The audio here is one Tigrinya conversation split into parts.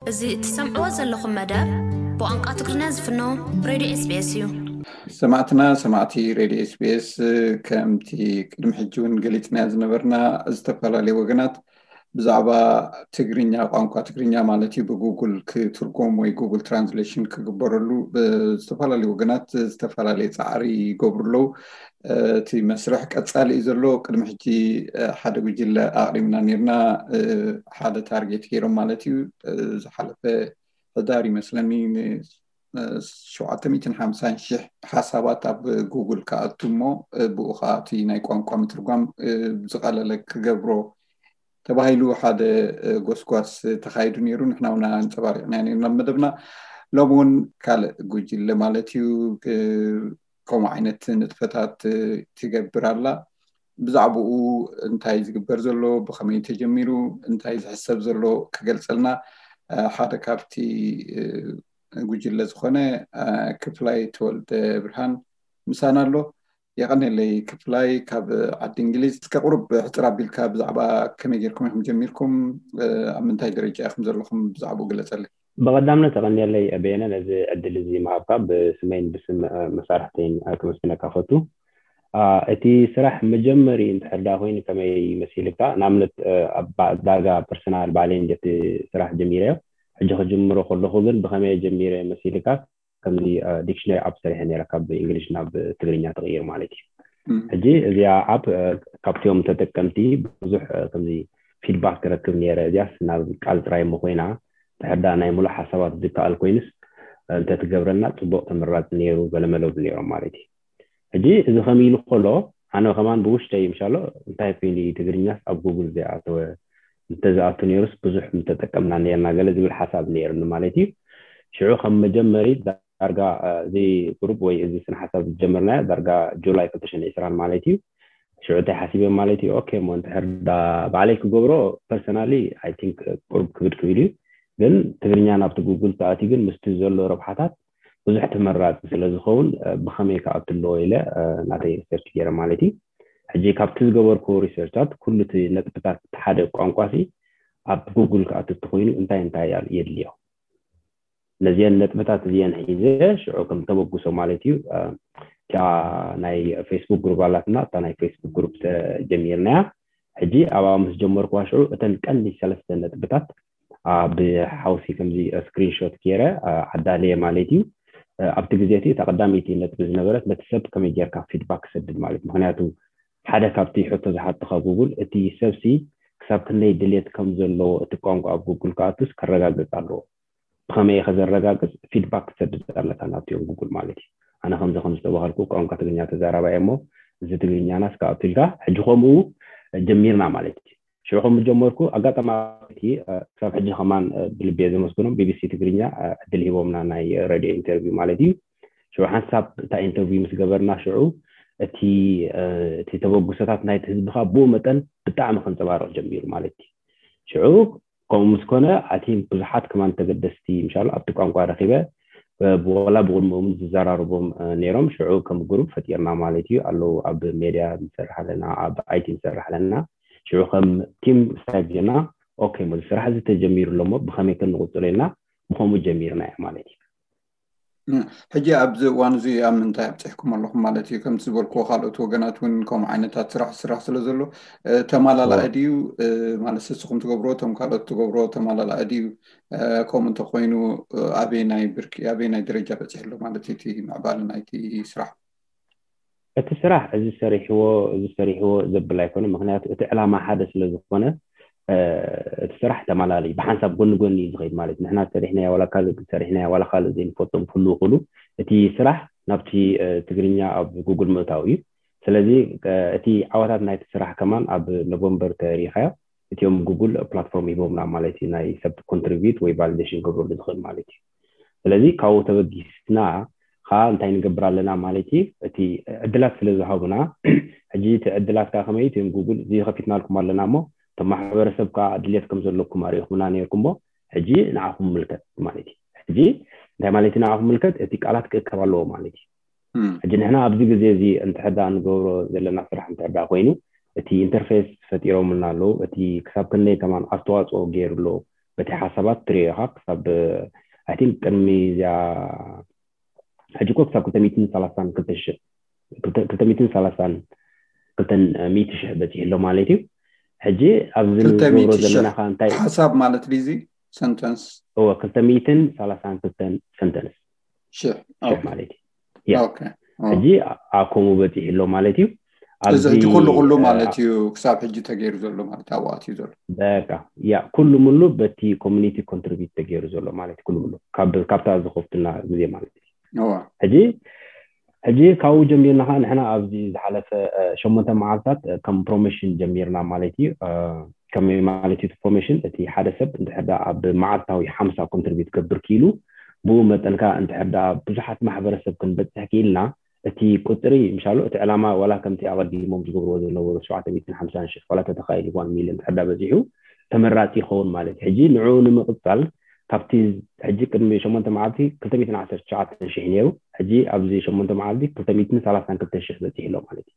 እዚ እትሰምዕዎ ዘለኹም መደብ ብቋንቋ ትግርኛ ዝፍኖ ሬድዮ ኤስቢኤስ እዩ። ሰማዕትና ሰማዕቲ ሬድዮ ኤስቢኤስ፣ ከምቲ ቅድሚ ሕጂ እውን ገሊጽናዮ ዝነበርና፣ ዝተፈላለዩ ወገናት ብዛዕባ ትግርኛ፣ ቋንቋ ትግርኛ ማለት እዩ፣ ብጉግል ክትርጎም ወይ ጉግል ትራንስሌሽን ክግበረሉ ብዝተፈላለዩ ወገናት ዝተፈላለየ ጻዕሪ ይገብሩ ኣለዉ። እቲ መስርሕ ቀጻሊ እዩ ዘሎ። ቅድሚ ሕጂ ሓደ ጉጅለ ኣቕሪብና ነርና፣ ሓደ ታርጌት ገይሮም ማለት እዩ። ዝሓለፈ ሕዳር ይመስለኒ ን750,000 ሓሳባት ኣብ ጉግል ክኣቱ እሞ፣ ብኡ ከዓ እቲ ናይ ቋንቋ ምትርጓም ዝቐለለ ክገብሮ ተባሂሉ ሓደ ጎስጓስ ተኻይዱ ነይሩ። ንሕና እውን ኣንጸባሪቕና ነርና ኣብ መደብና። ሎሚ እውን ካልእ ጉጅለ ማለት እዩ ከምኡ ዓይነት ንጥፈታት ትገብር ኣላ። ብዛዕባኡ እንታይ ዝግበር ዘሎ፣ ብኸመይ ተጀሚሩ፣ እንታይ ዝሕሰብ ዘሎ ክገልጸልና ሓደ ካብቲ ጉጅለ ዝኾነ ክፍላይ ተወልደ ብርሃን ምሳና ኣሎ። የቐኔለይ ክፍላይ ካብ ዓዲ እንግሊዝ። እስከ ቁሩብ ሕፅር ኣቢልካ ብዛዕባ ከመይ ጌርኩም ኢኹም ጀሚርኩም፣ ኣብ ምንታይ ደረጃ ኢኹም ዘለኹም ብዛዕባኡ ግለፀለይ። ብቐዳምነት የቐኔለይ በየነ ነዚ ዕድል እዚ ምሃብካ ብስመይን ብስም መሳርሕተይን ከመስግነካ ፈቱ። እቲ ስራሕ መጀመሪ እንድሕር ዳ ኮይኑ ከመይ መሲልካ? ንኣብነት ዳርጋ ፐርሰናል ባዕለይ እንደ ስራሕ ጀሚረዮ። ሕጂ ክጅምሮ ከለኹ ግን ብኸመይ ጀሚረ መሲልካ? ከምዚ ዲክሽነሪ ኣፕ ሰሪሐ ነይረ፣ ካብ እንግሊሽ ናብ ትግርኛ ተቕይር ማለት እዩ። ሕጂ እዚኣ ኣፕ ካብቲኦም ተጠቀምቲ ብዙሕ ከምዚ ፊድባክ ክረክብ ነይረ። እዚኣስ ናብ ቃል ጥራይ እሞ ኮይና፣ ድሕር ዳ ናይ ሙሉእ ሓሳባት ዝከኣል ኮይኑስ እንተትገብረና ጽቡቕ ተመራጺ ነይሩ፣ ገለመለ ነይሮም ማለት እዩ። ሕጂ እዚ ከም ኢሉ ከሎ፣ ኣነ ከማን ብውሽጠይ ምሻሎ እንታይ ኮይኑ እዩ ትግርኛስ ኣብ ጉግል ዘይኣተወ፣ እንተዝኣቱ ነይሩስ ብዙሕ ምተጠቀምና ነርና ገለ ዝብል ሓሳብ ነይሩኒ ማለት እዩ። ሽዑ ከም መጀመሪ ዳርጋ እዚ ግሩፕ ወይ እዚ ስነ ሓሳብ ዝጀመርናዮ ዳርጋ ጁላይ ክልተ ሽሕን ዕስራን ማለት እዩ። ሽዑ እንታይ ሓሲበ ማለት እዩ፣ ኦኬ እሞ እንድሕር ዳ ባዕለይ ክገብሮ ፐርሰናሊ ኣይ ቲንክ ቁሩብ ክብድ ክብል እዩ፣ ግን ትግርኛ ናብቲ ጉግል ተኣትዩ ግን ምስቲ ዘሎ ረብሓታት ብዙሕ ተመራፂ ስለ ዝኸውን ብኸመይ ክኣቱ ኣለዎ ኢለ ናተይ ሪሰርች ገይረ ማለት እዩ። ሕጂ ካብቲ ዝገበርኩ ሪሰርቻት ኩሉ እቲ ነጥብታት ሓደ ቋንቋ ሲ ኣብ ጉግል ክኣቱ እንተኮይኑ እንታይ እንታይ የድልዮ? ነዚአን ነጥብታት እዚአን ሒዘ ሽዑ ከም ተበግሶ ማለት እዩ እታ ናይ ፌስቡክ ግሩፕ ኣላትና፣ እታ ናይ ፌስቡክ ግሩፕ ጀሚርናያ። ሕጂ ኣብኣ ምስ ጀመርኩዋ ሽዑ እተን ቀንዲ ሰለስተ ነጥብታት ብሓውሲ ከምዚ ስክሪንሾት ገይረ ኣዳለየ ማለት እዩ። ኣብቲ ግዜ እቲ እታ ቀዳመይቲ ነጥቢ ዝነበረት ነቲ ሰብ ከመይ ጌርካ ፊድባክ ክሰድድ ማለት፣ ምክንያቱ ሓደ ካብቲ ሕቶ ዝሓተኻ ጉግል እቲ ሰብሲ ክሳብ ክንደይ ድሌት ከም ዘለዎ እቲ ቋንቋ ኣብ ጉግል ክኣቱስ ከረጋግጽ ኣለዎ። ብኸመይ ኢኸ ዘረጋግጽ? ፊድባክ ክሰድድ ኣለካ ናብቲኦም ጉግል ማለት እዩ። ኣነ ከምዚ ከም ዝተባሃልኩ ቋንቋ ትግርኛ ተዛራባይ እሞ እዚ ትግርኛናስ ክኣቱ ኢልካ ሕጂ ከምኡ ጀሚርና ማለት እዩ። ሽዑ ከም ጀመርኩ ኣጋጣሚ ክሳብ ሕጂ ከማን ብልቤ ዘመስግኖም ቢቢሲ ትግርኛ ዕድል ሂቦምና ናይ ሬድዮ ኢንተርቪው ማለት እዩ። ሽዑ ሓንሳብ እታ ኢንተርቪው ምስ ገበርና ሽዑ እቲ እቲ ተበግሶታት ናይቲ ህዝብኻ ብኡ መጠን ብጣዕሚ ከንፀባርቕ ጀሚሩ ማለት እዩ። ሽዑ ከምኡ ምስ ኮነ ኣቲ ብዙሓት ከማን ተገደስቲ ምሻሉ ኣብቲ ቋንቋ ረኺበ ወላ ብቕድሚኡ እውን ዝዘራርቦም ነይሮም። ሽዑ ከም ግሩፕ ፈጢርና ማለት እዩ። ኣለዉ ኣብ ሜድያ ንሰርሕ ኣለና፣ ኣብ ኣይቲ ንሰርሕ ኣለና። ሽዑ ከም ቲም ስታይል ጌርና ኦኬ እሞ እዚ ስራሕ እዚ ተጀሚሩ ኣሎ እሞ ብኸመይ ከ ንቕጽሎ ኢልና ብኸምኡ ጀሚርና እያ ማለት እዩ። ሕጂ ኣብዚ እዋን እዚ ኣብ ምንታይ ኣብፂሕኩም ኣለኹም ማለት እዩ? ከምቲ ዝበልክዎ ካልኦት ወገናት እውን ከምኡ ዓይነታት ስራሕ ስራሕ ስለ ዘሎ ተማላላኢ ድዩ ማለት ንስኹም ትገብሮ እቶም ካልኦት ትገብሮ ተማላላኢ ድዩ? ከምኡ እንተኮይኑ ኣበየናይ ብርኪ ኣበየናይ ደረጃ በፂሑ ኣሎ ማለት እዩ እቲ ምዕባለ ናይቲ ስራሕ? እቲ ስራሕ እዚ ሰሪሕዎ እዚ ሰሪሕዎ ዘብል ኣይኮነ፣ ምክንያቱ እቲ ዕላማ ሓደ ስለ ዝኾነ እቲ ስራሕ ተማላሊ ብሓንሳብ ጎኒ ጎኒ እዩ ዝኸይድ ማለት ንሕና ሰሪሕናያ ዋላ ካልእ ሰሪሕናያ ዋላ ካልእ ዘይንፈልጦም ክህልው ክእሉ እቲ ስራሕ ናብቲ ትግርኛ ኣብ ጉግል ምእታው እዩ። ስለዚ እቲ ዓወታት ናይቲ ስራሕ ከማን ኣብ ኖቨምበር ተሪኢኻዮ እቲኦም ጉግል ፕላትፎርም ሂቦምና ማለት እዩ ናይ ሰብ ኮንትሪቢዩት ወይ ቫሊዴሽን ክገብረሉ ዝኽእል ማለት እዩ። ስለዚ ካብኡ ተበጊስና ከዓ እንታይ ንገብር ኣለና ማለት እዩ። እቲ ዕድላት ስለ ዝሃቡና ሕጂ እቲ ዕድላት ከዓ ከመይ እቲኦም ጉግል እዚ ከፊትናልኩም ኣለና እሞ እቶም ማሕበረሰብ ከዓ ድሌት ከም ዘለኩም ኣሪኢኹምና ነይርኩም እሞ ሕጂ ንዓኹም ምልከት ማለት እዩ። ሕጂ እንታይ ማለት እዩ ንዓኹም ምልከት? እቲ ቃላት ክእከብ ኣለዎ ማለት እዩ። ሕጂ ንሕና ኣብዚ ግዜ እዚ እንተሕዳ ንገብሮ ዘለና ስራሕ እንተሕዳ ኮይኑ እቲ ኢንተርፌስ ፈጢሮምልና ኣለዉ። እቲ ክሳብ ክንደይ ከማን ኣስተዋፅኦ ገይሩ ኣሎ በቲ ሓሳባት ትሪኦ ኢኻ። ክሳብ ኣይ ቲንክ ቅድሚ እዚኣ ሕጂ እኮ ክሳብ ክልተ ሚእትን ሰላሳን ክልተ ሺሕ ክልተ ሚእትን ሰላሳን ክልተ ሚእቲ ሺሕ በፂሑ ኣሎ ማለት እዩ። ሕጂ ኣብዚ ክልተ ንገብሮ ሚእቲ ሺሕ ዘለና ከ እንታይ ሓሳብ ማለት ድዩ እዚ ሰንተንስ? እወ ክልተ ሚእትን ሰላሳን ክልተን ሰንተንስ ሽሕ ሽሕ ኦኬ። ማለት እዩ። ያ ኦኬ። ኦ። ሕጂ ኣብ ከምኡ በፂሑ ኣሎ ማለት እዩ። እዚ ኣብዚ ሕጂ ኩሉ ኩሉ እ፣ ማለት እዩ ክሳብ ሕጂ ተገይሩ ዘሎ ማለት ኣብኡ ኣትዩ ዘሎ። በቃ ያ ኩሉ ሙሉ በቲ ኮሚኒቲ ኮንትሪቢዩት ተገይሩ ዘሎ ማለት እዩ። ኩሉ ሙሉ ካብ ካብታ ዝኸፍቱና ግዜ ማለት እዩ። እዋ ሕጂ ሕጂ ካብኡ ጀሚርና ከዓ ንሕና ኣብዚ ዝሓለፈ እ፣ ሸሞንተ መዓልታት እ፣ ከም ፕሮሞሽን ጀሚርና ማለት እዩ። እ፣ ከመይ ማለት እዩ እቲ ፕሮሞሽን? እቲ ሓደ ሰብ እንድሕር ደኣ ኣብ መዓልታዊ ሓምሳ ኮንትሪቢዩት ክገብር ክኢሉ፣ ብኡ መጠን ከዓ እንድሕር ደኣ ብዙሓት ማሕበረሰብ ክንበፅሕ ክኢልና፣ እቲ ቁፅሪ ምሻሎ እቲ ዕላማ ዋላ ከምቲ ኣቐዲሞም ዝገብርዎ ዝነበሩ ሸውዓተ ሚእትን ሓምሳን ሽሕ ዋላ ተተኻኢሉ ዋን ሚልዮን እንድሕር ደኣ በፂሑ ተመራፂ ይኸውን ማለት እዩ። ሕጂ ንዕኡ ንምቕፃል ካብቲ ሕጂ ቅድሚ ሸሞንተ መዓልቲ ክልተ ሚእትን ዓሰርተ ትሽዓተ ሽሕ ነይሩ። ሕጂ ኣብዚ ሸሞንተ መዓልቲ ክልተ ሚእትን ሰላሳን ክልተ ሽሕ በፂሑ ኣሎ ማለት እዩ።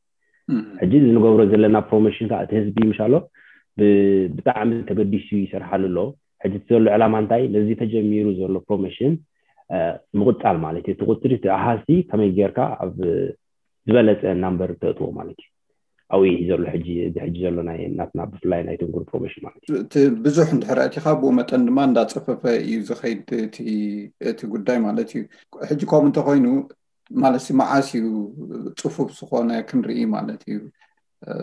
እም። ሕጂ እዚ ንገብሮ ዘለና ፕሮሞሽን ከዓ እቲ ህዝቢ ምሻሎ ብ- ብጣዕሚ ተገዲሱ ይሰርሓሉ ኣሎ። ሕጂ እቲ ዘሎ ዕላማ እንታይ? ነዚ ተጀሚሩ ዘሎ ፕሮሞሽን እ፣ ምቕፃል ማለት እዩ። እቲ ቁፅሪ እቲ ኣሃዝቲ ከመይ ጌርካ ኣብ ዝበለፀ ናምበር ተእትዎ ማለት እዩ። ኣብኡ እዩ ዘሎ ሕጂ እዚ ሕጂ ዘሎ ናይ ናትና ብፍላይ ናይ ትንጉር ፕሮሞሽን ማለት እዩ። እቲ ብዙሕ እንድሕር ኣእቲኻ ብኡ መጠን ድማ እንዳፀፈፈ እዩ ዝኸይድ እቲ እቲ ጉዳይ ማለት እዩ። ሕጂ ከምኡ እንተኮይኑ ማለት ሲ መዓስ እዩ ፅፉፍ ዝኾነ ክንርኢ ማለት እዩ? እ፣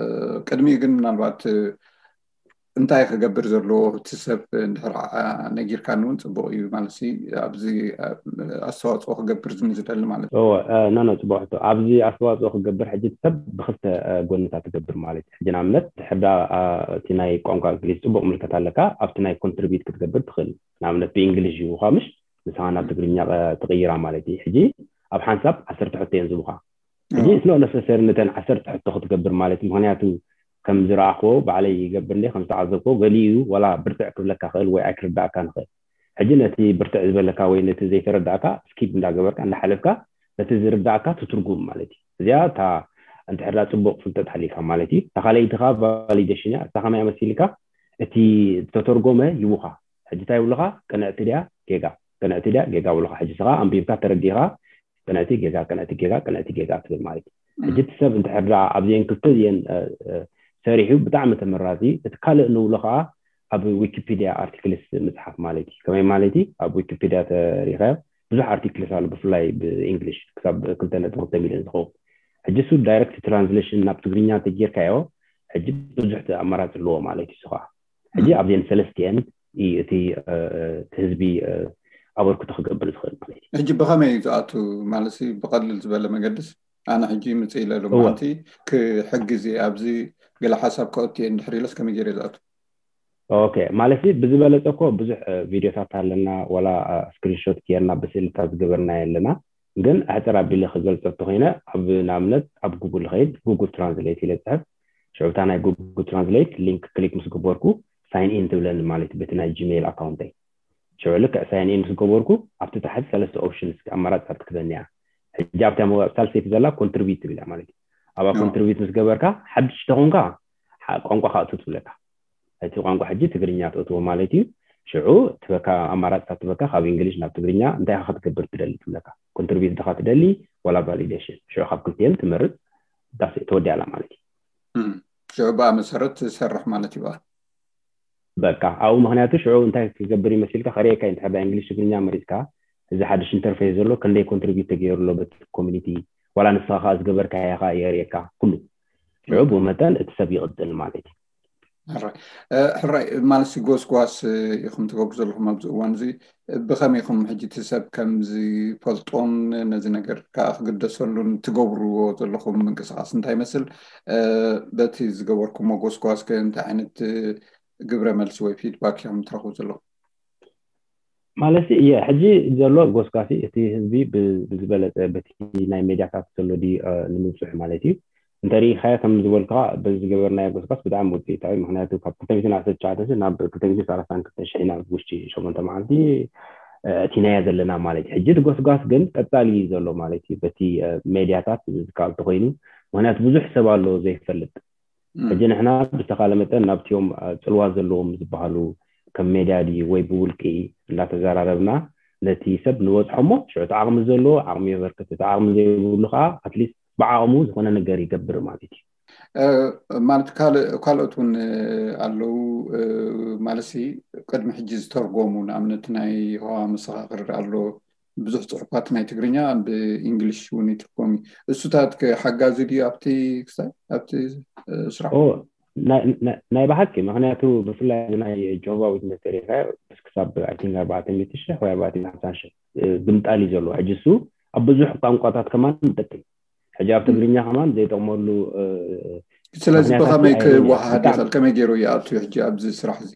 ቅድሚኡ ግን ምናልባት እ፣ እንታይ ክገብር ዘለዎ እቲ ሰብ እንድሕር ዓ- ነጊርካኒ እውን ፅቡቅ እዩ ማለት ሲ ኣብዚ እ፣ ኣስተዋፅኦ ክገብር ዝን ዝደሊ ማለት እዩ። ኖ ኖ ፅቡቅ ሕቶ። ኣብዚ ኣስተዋፅኦ ክገብር ሕጂ እቲ ሰብ ብክልተ እ፣ ጎንታት ትገብር ማለት እዩ። ሕጂ ንኣብነት ድሕር ዳ እ፣ እቲ ናይ ቋንቋ እንግሊዝ ፅቡቅ ምልከት ኣለካ ኣብቲ ናይ ኮንትሪቢዩት ክትገብር ትኽእል። ንኣብነት ብእንግሊዝ ይውካ ምሽ ንስኻ ናብ ትግርኛ እ፣ ትቕይራ ማለት እዩ። ሕጂ ኣብ ሓንሳብ ዓሰርተ ሕቶ እዮም ዝቡኻ። ሕጂ እዎ። it's not necessary ነተን ዓሰርተ ሕቶ ክትገብር ማለት እዩ። ምክንያቱ ከም ዝረኣኽዎ ባዕለይ ይገብር እንደ ከም ዝተዓዘብክዎ ገሊኡ ዋላ ብርትዕ ክብለካ ክእል ወይ ኣይክርዳእካ ንኽእል። ሕጂ ነቲ ብርትዕ ዝበለካ ወይ ነቲ ዘይተረዳእካ ስኪፕ እንዳገበርካ እንዳሓለፍካ ነቲ ዝርዳእካ ትትርጉም ማለት እዩ። እዚኣ እታ እንድሕር ዳ ፅቡቅ ፍልጠት ሃሊካ ማለት እዩ። እታ ካልኣይቲ ከዓ ቫሊዴሽን እያ። እታ ከመይ መሲልካ እቲ ዝተተርጎመ ይቡኻ። ሕጂ እንታይ ይብሉኻ? ቅንዕቲ ድያ ጌጋ? ቅንዕቲ ድያ ጌጋ ይብሉኻ። ሕጂ ስኻ ኣንቢብካ ተረዲኻ ቅንዕቲ ጌጋ ቅንዕቲ ጌጋ ቅንዕቲ ጌጋ ትብል ማለት እዩ። ሕጂ እቲ ሰብ እንድሕር ደኣ ኣብዚአን ክልተ እዚአን እ፣ እ፣ ሰሪሑ ብጣዕሚ ተመራፂ። እቲ ካልእ ንብሎ ከዓ ኣብ ዊኪፒድያ ኣርቲክልስ ምፅሓፍ ማለት እዩ። ከመይ ማለት እዩ? ኣብ ዊኪፒድያ ተሪኸ ብዙሕ ኣርቲክልስ ኣሎ ብፍላይ ብእንግሊሽ ክሳብ ክልተ ነጥቢ ክልተ ሚልዮን ዝኸውን። ሕጂ እሱ ዳይረክት ትራንስሌሽን ናብ ትግርኛ እንተጌርካዮ ሕጂ ብዙሕ ኣማራፂ ኣለዎ ማለት እዩ። እሱ ከዓ ሕጂ ኣብዚአን ሰለስቲአን እዩ እቲ እ፣ እ፣ እቲ ህዝቢ እ፣ ኣበርክቶ ክገብር ዝኽእል ማለት እዩ። ሕጂ ብኸመይ እዩ ዝኣቱ ማለት ሲ ብቐልል ዝበለ መገድስ ኣነ ሕጂ ምፅእ ኢለ እወ። ሎማዓንቲ ክሕግዝ እየ ኣብዚ ገለ ሓሳብ ከእቱ እየ እንድሕር ኢለስ ከመይ ገይረ ዝኣቱ? ኦኬ ማለት ብዝበለፀ እኮ ብዙሕ እ፣ ቪዲዮታት ኣለና ዋላ እ፣ ስክሪንሾት ጌርና ብስእልታት ዝገበርና ኣለና። ግን ኣሕፅር ኣቢለ ክገልፀ እንተኮይነ ኣብ ንኣብነት ኣብ ጉግል ኸይድ ጉግል ትራንስሌት ኢለ ፅሕፍ ሽዑታ ናይ ጉግል ትራንስሌት ሊንክ ክሊክ ምስ ገበርኩ ሳይን ኢን ትብለኒ ማለት እዩ በቲ ናይ ጂሜይል ኣካውንተይ። ሽዑ ልክዕ ሳይን ኢን ምስ ገበርኩ ኣብቲ ታሕቲ ሰለስተ ኦፕሽንስ ኣማራፅታት ክትበኒ እያ። ሕጂ ኣብታ መባእ ሳልሰይቲ ዘላ ኮንትሪቢዩት ትብል እያ ማለት እዩ። ኣብኣ ኖ። ኮንትሪቢዩት ምስ ገበርካ ሓድሽ ተኾንካ ሓ- ቋንቋ ካእቱ ትብለካ። እቲ ቋንቋ ሕጂ ትግርኛ ትእትዎ ማለት እዩ። ሽዑ ትበካ ኣማራፅታት ትበካ ካብ እንግሊሽ ናብ ትግርኛ እንታይ ኢኻ ክትገብር ትደሊ ትብለካ። ኮንትሪቢዩት ድኻ ትደሊ ዋላ ቫሊዴሽን። ሽዑ ካብ ክልቲኤን ትመርፅ ዳስ ተወዲኣላ ማለት እዩ። እም። ሽዑ ብኣ መሰረት ትሰርሕ ማለት እዩ በኣ። በቃ ኣብኡ ምክንያቱ ሽዑ እንታይ ክገብር ይመስልካ ከርእየካ እዩ። እንድሕር ዳ እንግሊሽ ትግርኛ መሪፅካ እዚ ሓድሽ ኢንተርፌስ ዘሎ ክንደይ ኮንትሪቢዩት ተገይሩ ኣሎ በቲ ኮሚኒቲ ዋላ ንስኻ ከዓ ዝገበርካዮ ከዓ የርእየካ ኩሉ። ሽዑ ብኡ መጠን እቲ ሰብ ይቕፅል ማለት እዩ። ሕራይ እ፣ ሕራይ ማለት ሲ ጎስጓስ እ፣ ኢኹም ትገብሩ ዘለኹም ኣብዚ እዋን እዚ እ፣ ብኸመይ ኢኹም ሕጂ እቲ ሰብ ከም ዝፈልጦን ነዚ ነገር ከዓ ክግደሰሉን ትገብርዎ ዘለኹም ምንቅስቃስ እንታይ ይመስል? እ፣ በቲ ዝገበርኩሞ ጎስጓስ ከ እንታይ ዓይነት እ፣ ግብረ መልሲ ወይ ፊድባክ ኢኹም ትረኽቡ ዘለኹም? ማለት እየ ሕጂ ዘሎ ጎስጓሲ እቲ ህዝቢ ብ- ብዝበለፀ በቲ ናይ ሜድያታት ዘሎ ድዩ እ፣ ንምብፅሑ ማለት እዩ። እንተሪኢኻዮ ከም ዝበልካ በዚ ዝገበርናዮ ጎስጓስ ብጣዕሚ ውፅኢታዊ። ምክንያቱ ካብ ክልተ ሚእትን ዓሰርተ ትሽዓተ ናብ ክልተ ሚእትን ሰላሳን ክልተ ሽሕ ኢና ኣብ ውሽጢ ሸሞንተ መዓልቲ እ፣ እቲናዮ ዘለና ማለት እዩ። ሕጂ እቲ ጎስጓስ ግን ቀፃሊ እዩ ዘሎ ማለት እዩ። በቲ እ፣ ሜድያታት ዝካል ተኮይኑ ምክንያቱ ብዙሕ ሰብ ኣሎ ዘይፈልጥ። እም። ሕጂ ንሕና ብዝተኻለ መጠን ናብቲኦም እ፣ ፅልዋ ዘለዎም ዝበሃሉ ከም ሜድያ ድዩ ወይ ብውልቂ እንዳተዘራረብና ነቲ ሰብ ንበፅሖ እሞ ሽዑ እቲ ዓቕሚ ዘለዎ ዓቕሚ የበርክት፣ እቲ ዓቕሚ ዘይብሉ ከዓ ኣትሊስት ብዓቕሙ ዝኾነ ነገር ይገብር ማለት እዩ። ማለት ካልእ ካልኦት እውን ኣለዉ። ማለትሲ ቅድሚ ሕጂ ዝተርጎሙ ንኣብነት ናይ የሆዋ መሰኻኽር ኣሎ፣ ብዙሕ ጽሑፋት ናይ ትግርኛ ብእንግሊሽ እውን ይትርጎም እዩ። እሱታት ሓጋዚ ድዩ ኣብቲ ክሳይ ኣብቲ ስራሕ? ናይ ብሓቂ፣ ምክንያቱ ብፍላይ ናይ ጆባ ዊትነስ ተሪካ ክሳብ ኣርባዕተ ሚእቲ ሽሕ ወይ ኣርባዕተ ሓምሳ ሽሕ ብምጣል እዩ ዘለዎ። ሕጂ እሱ ኣብ ብዙሕ ቋንቋታት ከማን ይጠቅም። ሕጂ ኣብ ትግርኛ ከማን ዘይጠቅመሉ ስለዚ ብኸመይ ክወሃሃድ ይኽእል? ከመይ ገይሩ ይኣቱ ሕጂ ኣብዚ ስራሕ እዚ?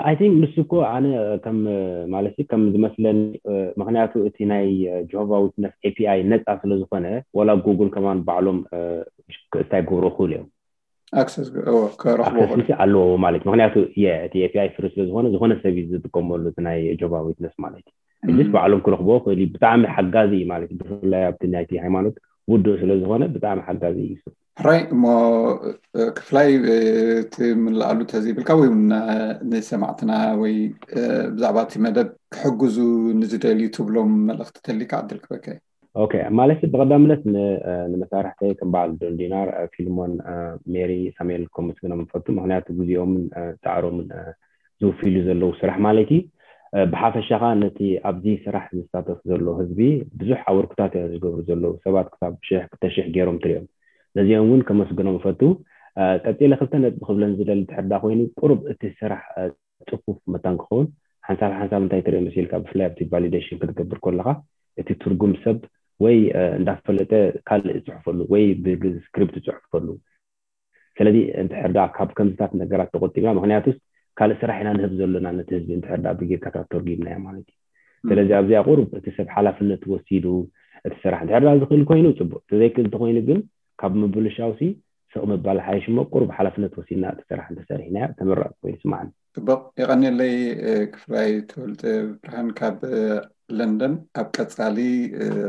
I think ንሱ እኮ ኣነ ከም ማለት ከም ዝመስለኒ፣ ምክንያቱ እቲ ናይ ጆባ ዊትነስ ኤፒኣይ ነፃ ስለዝኾነ፣ ወላ ጉግል ከማን ባዕሎም እንታይ ክገብሩ ይኽእሉ እዮም፣ ኣክሰስ ከረኽቦ ኣለዎ ማለት። ምክንያቱ እቲ ኤፒኣይ ፍሪ ስለዝኾነ፣ ዝኾነ ሰብ እዩ ዝጥቀመሉ እቲ ናይ ጆባ ዊትነስ ማለት እዩ። ሕጅስ ባዕሎም ክረኽቦ ክእል። ብጣዕሚ ሓጋዚ እዩ ማለት፣ ብፍላይ ኣብቲ ናይቲ ሃይማኖት ውዱእ ስለዝኾነ ብጣዕሚ ሓጋዚ እዩ። ሕራይ እሞ ክፍላይ እቲ ምልኣሉ ተዘይብልካ ወይ እውን ንሰማዕትና ወይ ብዛዕባ እቲ መደብ ክሕግዙ ንዝደልዩ ትብሎም መልእኽቲ ተሊካ ዕድል ክበካ እዩ። ኦኬ፣ ማለት ብቐዳምነት ንመሳርሕተይ ከም በዓል ዶን ዲናር፣ ፊልሞን፣ ሜሪ፣ ሳሙኤል ከመስግኖም እፈቱ። ምክንያቱ ግዜኦምን ፃዕሮምን ዝውፊሉ ዘለዉ ስራሕ ማለት እዩ። ብሓፈሻ ከዓ ነቲ ኣብዚ ስራሕ ዝሳተፍ ዘሎ ህዝቢ ብዙሕ ኣበርክታት እዮም ዝገብሩ ዘለዉ። ሰባት ክሳብ ሽሕ ክልተ ሽሕ ገይሮም ትሪኦም። ነዚኦም እውን ከመስግኖም እፈቱ። ቀፂለ ክልተ ነጥቢ ክብለን ዝደሊ ድሕር ዳ ኮይኑ፣ ቁሩብ እቲ ስራሕ ፅፉፍ መታን ክኸውን ሓንሳብ ሓንሳብ እንታይ ትርኢ መሲልካ፣ ብፍላይ ኣብቲ ቫሊዴሽን ክትገብር ከለካ እቲ ትርጉም ሰብ ወይ እንዳፈለጠ ካልእ ዝፅሕፈሉ ወይ ብስክሪፕት ዝፅሕፈሉ። ስለዚ እንድሕር ዳ ካብ ከምዚታት ነገራት ተቆጢብና፣ ምክንያቱስ ካልእ ስራሕ ኢና ንህብ ዘለና ነቲ ህዝቢ፣ እንድሕር ዳ ብጌርካ ተርጊምናዮ ማለት እዩ። ስለዚ ኣብዚኣ ቁሩብ እቲ ሰብ ሓላፍነት ወሲዱ እቲ ስራሕ እንድሕር ዳ ዝኽእል ኮይኑ ፅቡቅ፣ ተዘይክእል እንተኮይኑ ግን ካብ ምብልሻውሲ ስቕ ምባል ሓይሽ እሞ ቁሩብ ሓላፍነት ወሲድና እቲ ስራሕ እንተሰሪሕናዮ ተመራፂ ኮይኑ ይስማዓኒ። ፅቡቅ፣ የቐንየለይ ክፍላይ ተወልደ ብርሃን ካብ ለንደን። ኣብ ቀፃሊ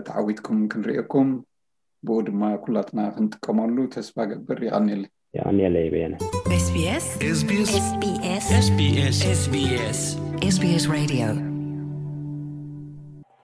ተዓዊትኩም ክንርእየኩም ብኡ ድማ ኩላትና ክንጥቀመሉ ተስፋ ገብር። የቐንየለይ። የቐንየለይ በየነ። SBS SBS SBS SBS SBS Radio